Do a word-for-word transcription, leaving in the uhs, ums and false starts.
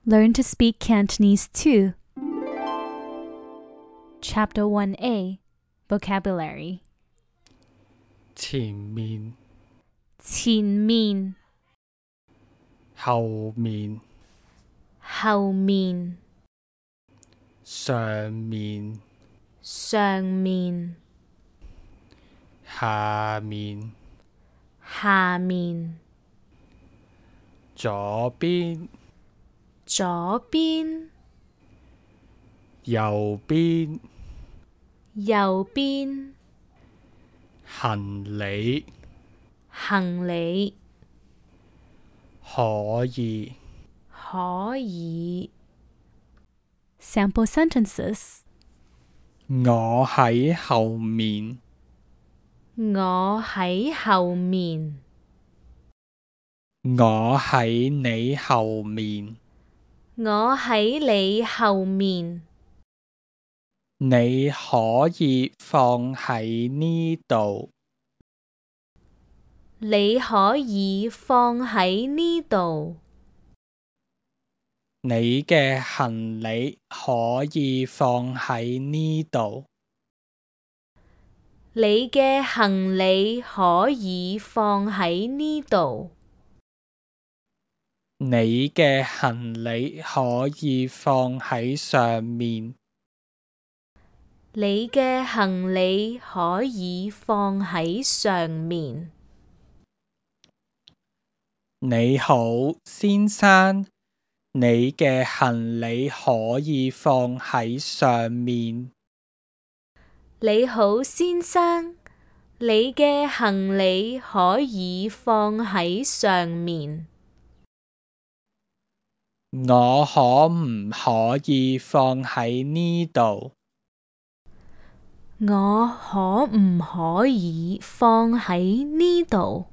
Learn to speak Cantonese too. Chapter one A Vocabulary 前面、前面後面、後面上面、上面下面、下面左邊、左邊右邊、右邊行李、行李可以、可以 Sample sentences 我喺後面，我喺後面，我喺你後面，我喺你後面，你可以放喺呢度，你可以放喺呢度，你嘅行李可以放喺呢度，你嘅行李可以放喺呢度，你嘅行李可以放喺上面，你嘅行李可以放喺上面。你好，先生，你嘅行李可以放喺上面。你好，先生，你嘅行李可以放喺上面。我可唔可以放喺呢度？我可唔可以放喺呢度？